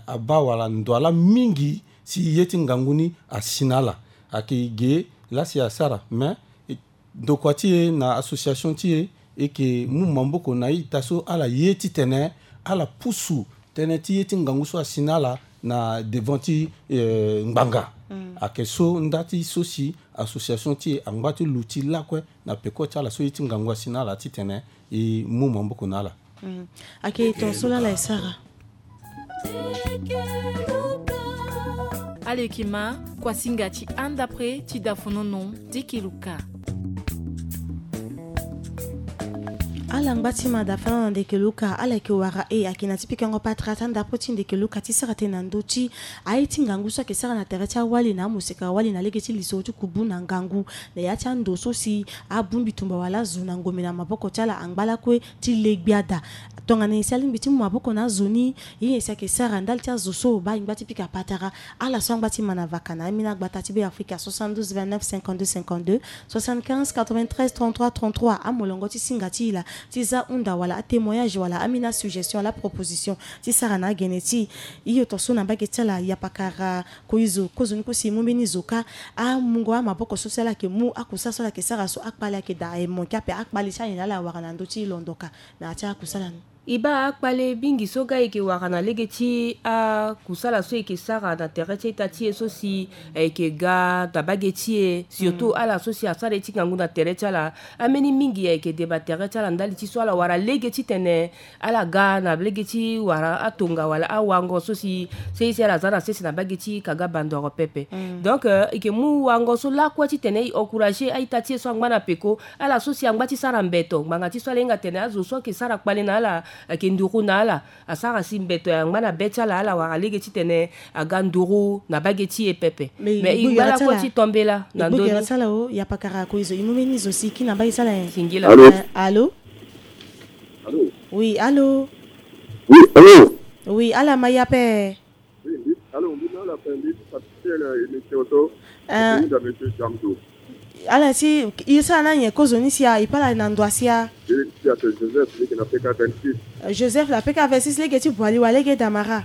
abaa wala ndo ala mingi si ye ti ngangu ni asi na ala. Ayeke ge laa si asara me ndokua ti e na association ti e e yeke mu maboko na a-ita so ala ye titene ala pusu tënë ti ye ti ngangu so asi na ala na devant ti ngbanga. Ayeke so nda ti so si association ti e angba ti luti lakue na peko ti ala so ye ti ngangu asi na ala titene e mu maboko na ala. Ayeke tongaso laa ala e sara. Alekima kuasinga ti anda pre ti dafonono ti kiluka. Ala ngba ti ma dafana na ndeke luka ala yeke wara e ayeke na ti pikango patara ti andapre ti ndeke luka ti sara tënë na ndö ti aye ti ngangu so ayeke sara na tere ti awali na amoseka wali na lege ti lisoro ti kubu na ngangu na ya ti ando so si abongbi tumba wala azo na ngombe na maboko ti ala angba lakue ti le gbia daa. Tongana nyen si alingbi ti mu maboko na azo ni? Ye nyen si ayeke sara ndali ti azo so baa e ngba ti pika patara? Ala so angba ti ma na vaka na ambeni agbata ti Beafrika soixante-douze vingt-neuf cinquante-deux cinquante-deux, soixante-quinze quatre-vingt-treize trente-trois trente-trois. Amolongo ti singa ti e laa ti za hunda wala atémoignage wala ambeni asuggestion wala aproposition ti sara na agene ti e. Hio tongaso na mbage ti ala yapakara koizo kozoni kosi e mu mbeni zo kâ. Amungo amaboko so si ala yeke mu akusala so ala yeke sara so akpale ayeke daa e manke ape akpale ti ayen laa ala wara na ndö ti e londo kâ na ya ti akusala ni. E baa akpale mingi so ga e yeke wara na lege ti akusala so e yeke sara na tere ti a-ita ti e so si e yeke ga na bage ti e surtout ala so si asara ye ti ngangu na tere ti ala. Ambeni mingi e yeke deba tere ti ala ndali ti so ala wara lege titene ala ga na lege ti wara atonga wala awango so si sese ala za na sese na bage ti kaga bandoro pepe. Donc e yeke mu wango so lakue titene e encourager a-ita ti e so angba na peko ala so si angba ti sara mbeto ngbanga ti so ala hinga tene azo so ayeke sara kpale na ala ayeke nduru na ala asara si mbeto e angba na be ti ala ala wara lege titene aga nduru na bage ti e pepe. Mais e ngba lakue ti tombela na ndö ni. Ti ala o yapakara koizo e mu mbeni zo si e kiri na mbage ti ala nyen? Singila. Allô? Allô? Oui, allô? Oui, allô? Oui, ala ma e ape. Allô, mbi na ala ape mbi ti participer na émission so. Mbi na monsieur Jamdo. Ala si e sara na nyen kozoni sia e pe ala na ndo asia? Joseph leke na P K vingt-six. Joseph na P K vingt-six lege ti Boali wala lege Damara?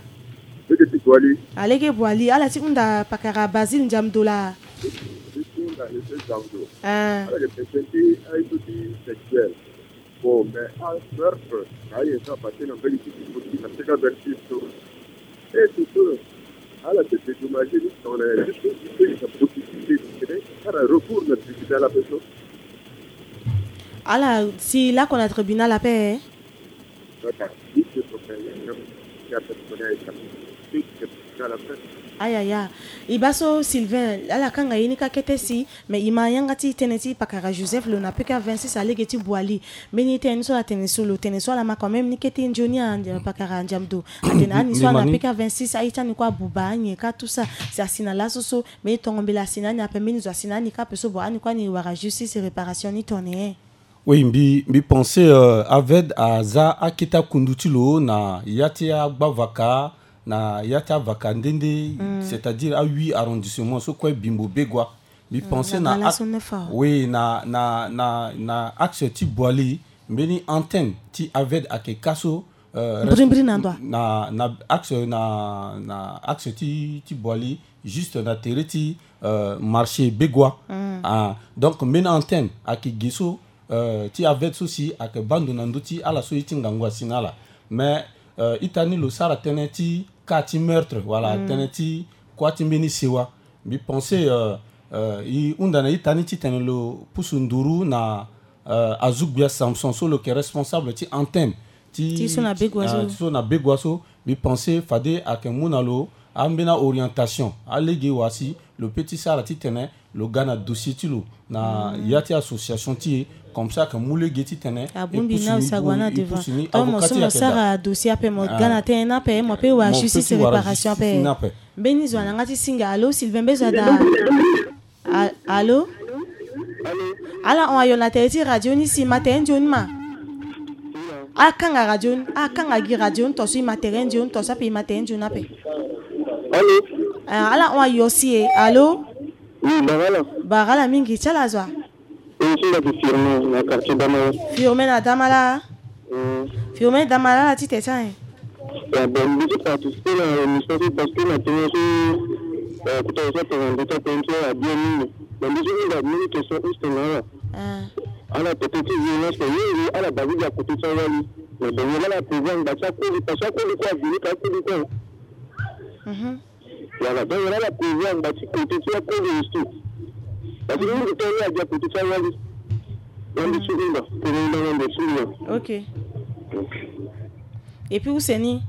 Lege ti Boali. Alege Boali ala ti hunda pakara Basile Ndiamdo laa. Lege ti hunda monsieur Jamdo. Ala yeke pete ti aye so ti sexuel. Bon, mais a meurtre na aye so apasse na mbage ti Djibouti na P K vingt-six so. Et surtout ala yeke dédommager ni tongana ya juste juste na possibilité ti tene asara recours na tribunal ape so. Ala si lakue na tribunal ape. Ayaya. E baa so Sylvain ala kanga ye ni kâ kete si. Mais e ma yanga ti tënë ti pakara Joseph lo na P K vingt-six alege ti Boali. Mbeni tënë ni so ala tene so lo tene so ala ma quand même ni kete nzoni a pakara Ndiamdo atene ani so ala na P K vingt-six aye ti ani kue abuba anyen kâ tout ça. Si asi na laso so mbeni tongo mbela asi na ani ape mbeni zo asi na ani kâ ape so bon ani kue ani wara justice réparation ni tongana nyen? Oui, mbi, mbi pensé, euh, Aved aza akete akundu ti lo na ya ti agbavaka, na ya ti avaka nde nde, c'est-à-dire a huit arrondissement so kue Bimbo, Begoua. Mbi pensé na, oui, na, na, na, na axe ti Boali, mbeni antenne ti Aved ayeke ka so, euh, mbirimbiri na ndö, na, na axe, na, na axe ti, ti Boali, juste na tere ti, euh, marché Begoua. Ah, donc mbeni antenne ayeke ge so, euh, ti Aved so si ayeke baa ndo na ndö ti ala so ye ti ngangu asi na ala. Mais, euh, ita ni lo sara tënë ti cas ti meurtre wala tënë ti kuâ ti mbeni sewa. Mbi pensé, euh, euh, e hunda na ita ni titene lo pusu nduru na, euh, azo gbia Samson so lo yeke responsable ti antenne ti, ti so na Begoua so, ah, so na Begoua so. Mbi pensé fade ayeke mu na lo ambeni a-orientation, alege wa si lo peut ti sara titene lo ga na dossier ti lo na ya ti association ti e, comme ça ayeke mu lege titene abongbi na lo si ague na devant. Mo so mo sara dossier ape, mo ga na tënë ni ape, mo peut wara justice, réparation ape. Mbeni zo na yanga ti singa. Allô, Sylvain, mbi zo daa. A-, allô? Ala hon ayo na tere ti radio ni si e ma tere nzoni ma. Akanga radio ni, akanga gi radio ni, to so e ma tere nzoni, to so ape e ma tere nzoni ape. Allô? Ah, ala hon ayo si e. Allô? Oui, barala. Barala mingi, ti ala zo wa? Oui, ti nda ti Firmin na quartier Damala. Firmin na Damala. Hmm. Firmin Damala, ala ti tene ti ayen. Ya, bon, mbi ti participer na émission ti, parce que na tënë ti, euh, kota so atene na ndö ti atënë ti ala bien mingi. Mais mbi ti hunda mbeni question use na ala. Ah. Ala tene ti violence mingi, ala baa gi gi na côté ti awali. Mais bon, ala prévoir ngba ti akoli, parce que akoli kue aviolé ka akoli kue. Mhm. Voilà, donc ala prévoir ngba ti côté ti akoli aussi. Parce que mingi tongana ala gi na côté ti awali. Donc mbi ti hunda, tene hunda na ndo ti mbi. Ok. Ok. Et puis use ni.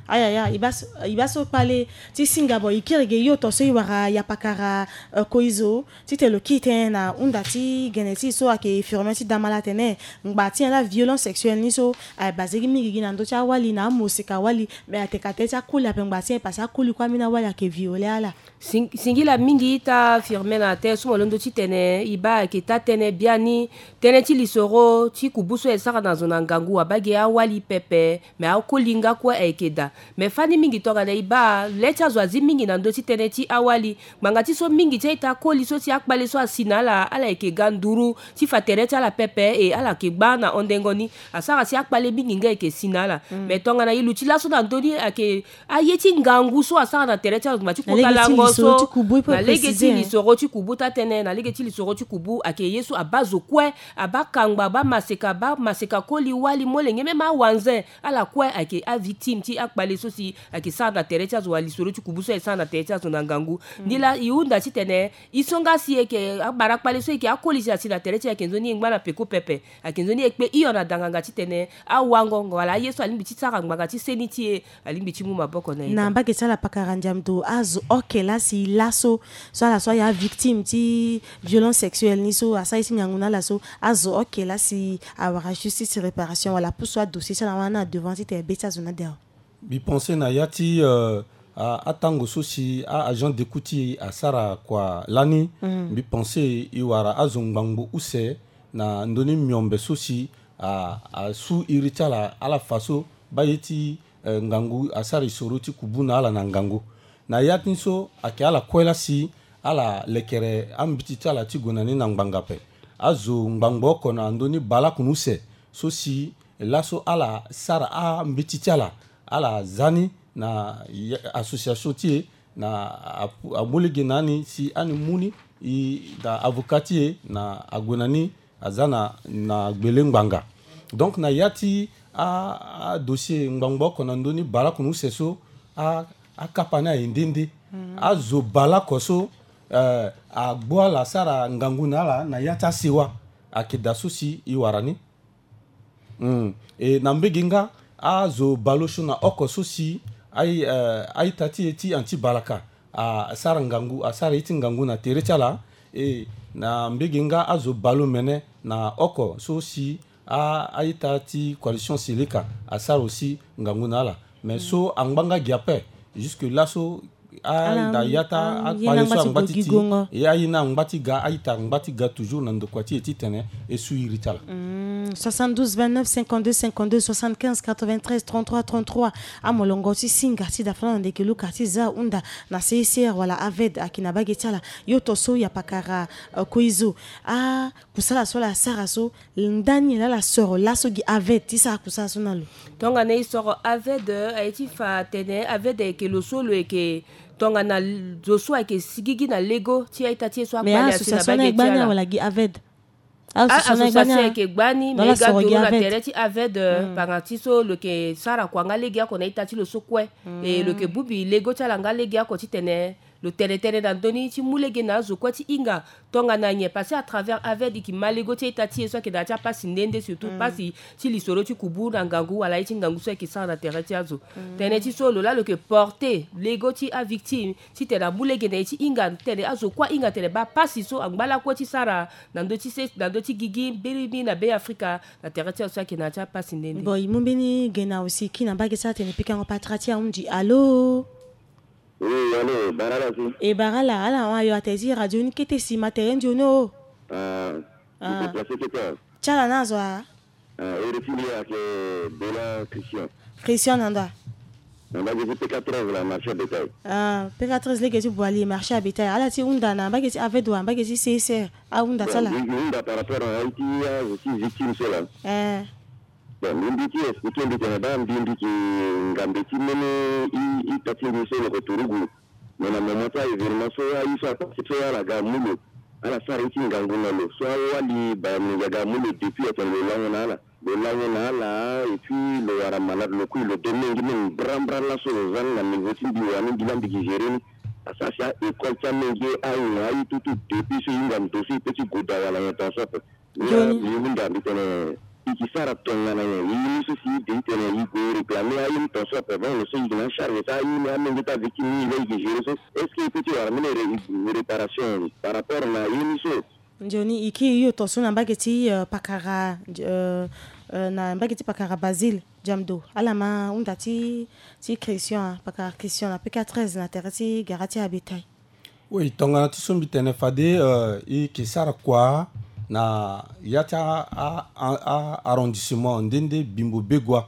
Ayaya, e baa so, e baa so kpale ti singa. Bon, e kiri ge yo to so e wara yapakara, euh, koizo. Titene lo kiri tënë na hunda ti gene ti e so ayeke Firmin ti Damala atene ngba ti nyen laa violence sexuelle ni so aye basé gi mingi gi na ndö ti awali na amoseka wali, mais ateka tënë ti akoli ape ngba ti nyen, parce que akoli kue ambeni awali ayeke violé ala. Sing-, singila mingi ita Firmin na tënë so mo londo titene e baa ayeke taa tënë biani. Tënë ti lisoro ti kubu so e sara na zo na ngangu abaa gi awali pepe, mais akoli nga kue ayeke daa. Mais fani mingi tongana e baa le ti azo azi mingi na ndö ti tënë ti awali. Ngbanga ti so mingi ti a-ita akoli so si akpale so asi na ala, ala yeke ga nduru ti fa tere ti ala pepe, e ala yeke gbaa na hondengo ni. Asara si akpale mingi nga e yeke si na ala. Mm. Mais tongana e luti laso na ndö ni ayeke aye ti ngangu so asara na tere ti ala, ngba ti kota lango so, na lege ti lisoro ti kubu, taa tënë, na lege ti lisoro ti kubu ayeke ye so abaa zo kue, abaa kangba, abaa maseka, abaa maseka koli, wali, molenge, même awanze. Ala kue ayeke avictime ti akpale so si ayeke sara na tere ti azo, wala lisoro ti kubu so ayeke sara na tere ti azo na ngangu. Mm. Ni laa e hunda titene e so nga si e yeke abara kpale so e yeke akoli si asi na tere ti e, ayeke nzoni e ngba na peko pepe, ayeke nzoni e kpe hio na danganga titene awango wala aye so alingbi ti sara ngbanga ti seni ti e, alingbi ti mu maboko na e. Na mbage ti ala pakara ndiamdo, azo oke laa si laso, so ala so aye avictime ti violence sexuelle ni so asara ye ti ngangu na ala so, azo oke laa si awara justice, réparation wala apusu adossier ti ala wana na devant titene be ti azo ni ade awe. Mbi pensé na ya ti, euh, a, atango so si a-agent d'écoute ti e asara kua lani. Mm. Mbi pensé e wara azo ngbangbo use na ndö ni miombe so si a, asu iri ti ala, ala fa so baa ye ti, eh, ngangu asara e soro ti kubu na ala na ngangu. Na ya ti ni so ayeke ala kue laa si ala lekere ambeti ti ala ti gue na ni na ngbanga ape. Azo ngbangbo oko na ndö ni baleokoni use so si laso ala sara ambeti ti ala, ala za ni na ya, association ti e na apu-, amu lege na ni si ani mu ni, e, na avocat ti e na ague na ni aza na, na gbele ngbanga. Donc na ya ti a, adossier ngbangbo oko na ndö ni baleokoni use so, a, akapa ni aye nde nde. Mm. Azo baleoko so, eh, agbu ala asara ngangu na ala na ya ti asewa ayeke daa so si e wara ni. Mm. E na mbege nga azo baleosio na oko so si ai, eh, a-ita ti e ti anti balaka asara ngangu, asara ye ti ngangu na tere ti ala. E na mbege nga azo baleomene na oko so si a, a-ita ti coalition Seleka asara aussi ngangu na ala. Mais so angba nga gi ape, jusque là so, Ala, ala, ya ta, mm, akpale so angba ti ti, e aye na angba ti ga, aita angba ti ga toujours na ndokua ti e titene e su iri ti ala. Mm, soixante-douze vingt-neuf cinquante-deux cinquante-deux, soixante-quinze quatre-vingt-treize trente-trois trente-trois. Amolongo ti singa ti da fana na ndeke luka ti za hunda na C I C R wala AVED ayeke na bage ti ala. Yo to so ya pakara, euh, koizo. Ah, kusala so ala sara so, ndani laa ala soro laso gi AVED ti sara kusala so na lo? Tongana e soro AVED, eh, aye ti fa atene AVED ayeke lo so lo yeke tongana l-, zo so ayeke sigigi na lego ti aita ti e so akpale asi na bage ti ala. Mais association ni ayeke gbani wala gi AVED? Ah, association ni ayeke gbani, mais e ga duru na tere ti AVED, eh, panga ti so lo yeke sara kua nga legeoko na ita ti lo so kue. E lo yeke bongbi lego ti ala nga legeoko titene lo tene tënë na ndö ni ti mu lege na azo kue ti hinga tongana nyen, parce que à travers AVED e yeke ma lego ti ita ti e so ayeke na ya ti apasi nde nde, surtout pasi ti lisoro ti kubu na ngangu wala aye ti ngangu so ayeke sara na tere ti azo. Tënë ti so lo laa lo yeke porter lego ti avictime titene amu lege na e ti hinga tene azo kue ahinga tene baa pasi so angba lakue ti sara na ndö ti se, na ndö ti gigi mbirimbiri na Be Afrika na tere ti azo so ayeke na ya ti apasi nde nde. Bon, e mu mbeni ge na aussi ki na mbage ti atene pikango patara ti ahunzi. Alo? Oui, allô, bara ala si. E bara ala, ala hon ayo ate ti radio ni kete si ma tere nzoni o. Ah, ah. Déplacé kete. Ti ala na azo a? Ah, iri ti mbi ayeke Bela Christian. Christian na ndo a? Na mbage ti P K treize la, marché bétail. Ah, P K treize lege ti Boali, marché à bétail. Ala ti hunda na mbage ti AVED wala mbage ti C I C R, ahunda ti ala? Bon, mbi hunda par rapport na aye ti azo ti victime so la. Eh. Bon, mbi, mbi ti expliqué mbi tene baa mbi, mbi yeke ngambe ti mbeni i, ita ti mbi so lo yeke turugu. Mais na moment ti a-événement so aye so apase so ala ga amu lo, ala sara ye ti ngangu na lo. So awali baya molenge aga amu lo depuis atene lo lango na ala. Lo lango na ala, et puis lo wara malade, lo kui, lo do mingi mingi, mbrambra laso lo za ni na niveau ti mbi wani mbi laa mbi yeke gérer ni. Parce que asi a-école ti amenge aye na aye tout tout, depuis so e hinga ndo so e peut ti goda wala nyen ton so ape. Nzoni. Mbi hunda mbi tene, e yeke sara tongana nyen? E ye ni so si e de titene e gue réclamer aye ni ton so ape, bon, lo so e yeke na acharge so aye ni, amenge ti avictime ni, e laa e yeke gérer so. Est-ce que e peut ti wara mbeni ré-, réparation par rapport na aye ni so? Nzoni, e kiri yo to so na mbage ti, euh, pakara, euh, euh, na mbage ti pakara Basile Diamdo. Ala ma hunda ti, ti Christian, pakara Christian na P K treize na tere ti gara ti abétail. Oui, tongana ti so mbi tene fade, euh, e yeke sara kua na ya ti a, a, a, a arrondissement nde nde Bimbo Begoua.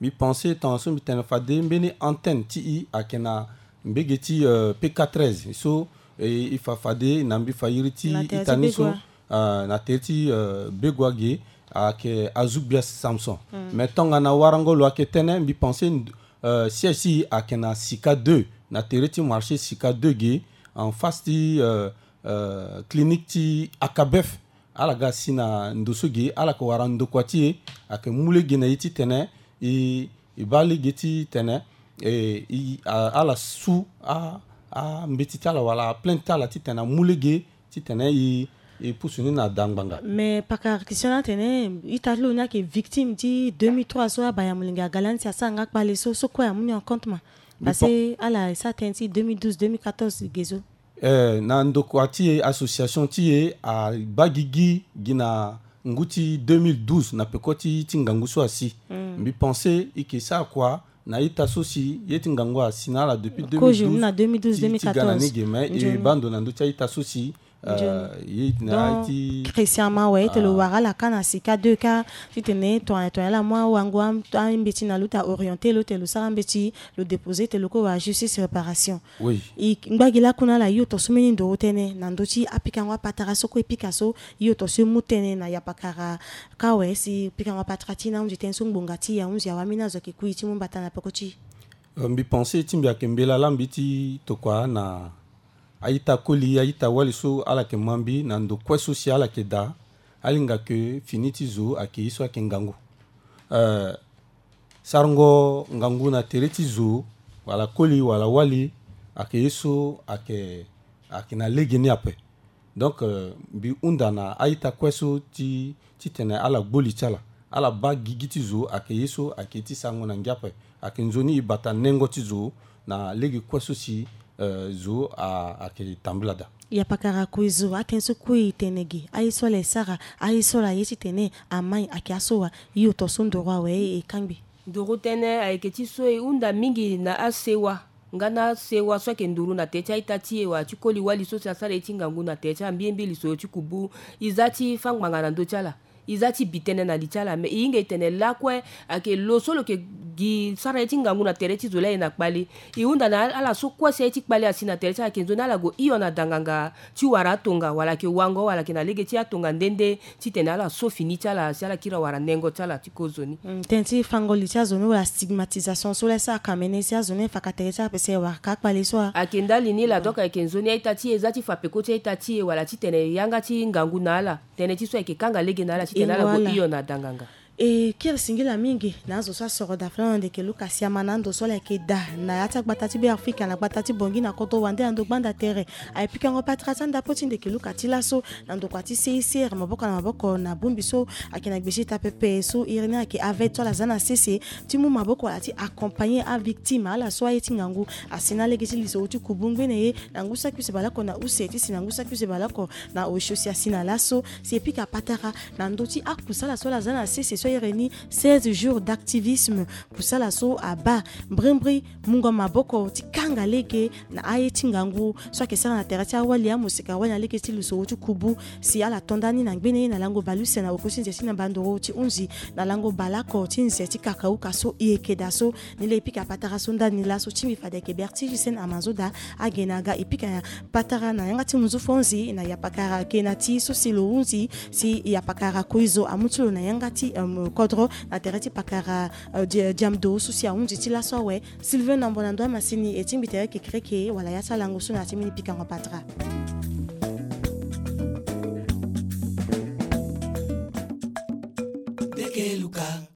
Mbi pense tongana so mbi tene fade mbeni antenne ti e ayeke na mbage ti, euh, P K treize. So, e, e fa fade na mbi fa iri ti ita ni so, euh, na tere ti, euh, Begoua ge ayeke Azoubia Samson. Mm. Mais tongana warango lo ayeke tene, mbi pense, euh, siège ti e ayeke na Sika deux, na tere ti marché Sika deux ge, en face ti, euh, euh, clinique ti Akabef. Ala ga si na ndo so ge, ala yeke wara ndokua ti e, ayeke mu lege na e titene e, e baa lege titene e, e, a, ala su a, ambeti ti ala wala aplainte ti ala titene amu lege titene e, e pusu ni na da ngbanga. Mais pakara Christian atene ita ti lo ni ayeke victime ti deux mille trois so abaya molenge aga lani si asara nga kpale so, so kue amu ni en compte ma? Parce que ala e sara tënë ti deux mille douze deux mille quatorze ge so. Eh, na ndokua ti e, association ti e abaa gigi gi na ngu ti deux mille douze na peko ti, ti ngangu so asi. Mm. Mbi pense e yeke sara kua na ita so si ye ti ngangu asi na ala depuis kozo deux mille douze, na deux mille douze, ti, ti ga na deux mille quatorze ni ge, mais e baa ndo na ndö ti a-ita so si, eh, ye na, donc, ti Christian Mawe, e te lo wara ala ka na Sika deux ka titene tongana, tongana ala mu awango a, ambeti na lo, lo ta orienté lo, titene lo sara ambeti, lo déposé, titene lo ko wara justice réparation. Oui. E ngba gi lakue na ala, yo to so mbeni ndoro tënë na ndö ti apikango apatara so kue e pika so, yo to so e mu tënë na yapakara ka awe si pikango apatara ti e na ahunzi tënë so ngbonga ti e, ahunzi awambeni azo ayeke kui ti mu mbata na peko ti e. Euh, mbi pense ti mbi ayeke mbela laa mbi ti tokua na a-ita koli, a-ita wali so ala yeke ma mbi na ndo kue so si ala yeke daa, alinga ke fini ti zo ayeke ye so ayeke ngangu. Euh, Sarango ngangu na tere ti zo, wala koli, wala wali, ayeke ye so ayeke, ayeke na lege ni ape. Donc, euh, mbi hunda na a-ita kue so ti, titene ala gbu li ti ala, ala baa gigi ti zo, ayeke ye so ayeke ye ti sarango na ngia ape. Ayeke nzoni e bata nengo ti zo na lege kue so si, euh, zo a, ayeke tambula daa. Yapakara kue zo, atënë so kue e tene ge, aye so ala e sara, aye so ala ye titene amai ayeke aso wa, yo to so ndoro awe e kangbi. Nduru tënë ayeke ti so e hunda mingi na asewa. Nga na sewa so ayeke nduru na tere ti a-ita ti e wala ti koli-wali so si asara ye ti ngangu na tere ti ambiembi lisoro ti kubu. E za ti fâ ngbanga na ndö ti ala. E za ti bi tënë na li ti ala. Me e hinga e tene lakue, ayeke lo so lo yeke gi sara ye ti ngangu na tere ti zo laa e na kpale. E hunda na ala so kue si aye ti kpale asi na tere ti ala, ayeke nzoni ala gue hio na danganga ti wara atonga, wala ayeke wango, wala ayeke na lege ti atonga nde nde, titene ala so fini ti ala si ala kiri awara nengo ti ala ti kozoni. Mm, tënë ti fango li ti azo ni wala stigmatisation so laa e sara kamene si azo ni e fa ka tere ti ala pese e wara ka akpale so a. Ayeke ndali ni laa, donc ayeke nzoni a-ita ti e za ti fa peko ti a-ita ti e wala titene yanga ti ngangu na ala. Tënë ti so ayeke kanga lege na ala titene ala gue hio na danganga. E kiri singila mingi na azo so asoro dafalana ndeke luka siama na ando so ala yeke daa na ya ti agbata ti Beafrika na gbata ti Bangui na kodro wande na ndo gbanda tere. Aye pikango patara ti andapo ti ndeke luka ti laso na ndokua ti C I C R maboko na maboko na bongbi so ayeke na gbesi ita pepe so iri ni ayeke AVED so ala za na sese ti mu maboko wala ti accompagner avictime ala so aye ti ngangu asi na lege ti lisoro ti kubu ngbene ye na ngu saki use baleoko na use ti si na ngu saki use baleoko na osio si asi na laso si e pika patara na ndö ti akusala so ala za na sese so iri ni seize jours d'activisme. Kusala so abaa mbrimbri mungo maboko ti kanga lege na aye ti ngangu so ayeke sara na tere ti awali amosika wali na lege ti lisoro ti kubu si ala to ndani na ngbene ye na lango baleuse na oko ti nze ti na bandoro ti hunzi na lango baleoko ti nze ti kakauka so e yeke daa so. Ni laa e pika patara so ndani laso ti mbi fade ayeke Berti Gisène Amazoda. Age na aga e pika patara na yanga ti munzu fo hunzi na yapakara ge na ti so si lo hunzi si yapakara koizo amu ti lo na yanga ti, um, kodro na tere ti pakara, uh, di-, diamdo so si ahunzi ti laso awe. Sylvain Nambo na ndo amasini e ti mbi tere kekereke wala ya ti alango so na ya ti mbeni pikango patara. Ndeke luka.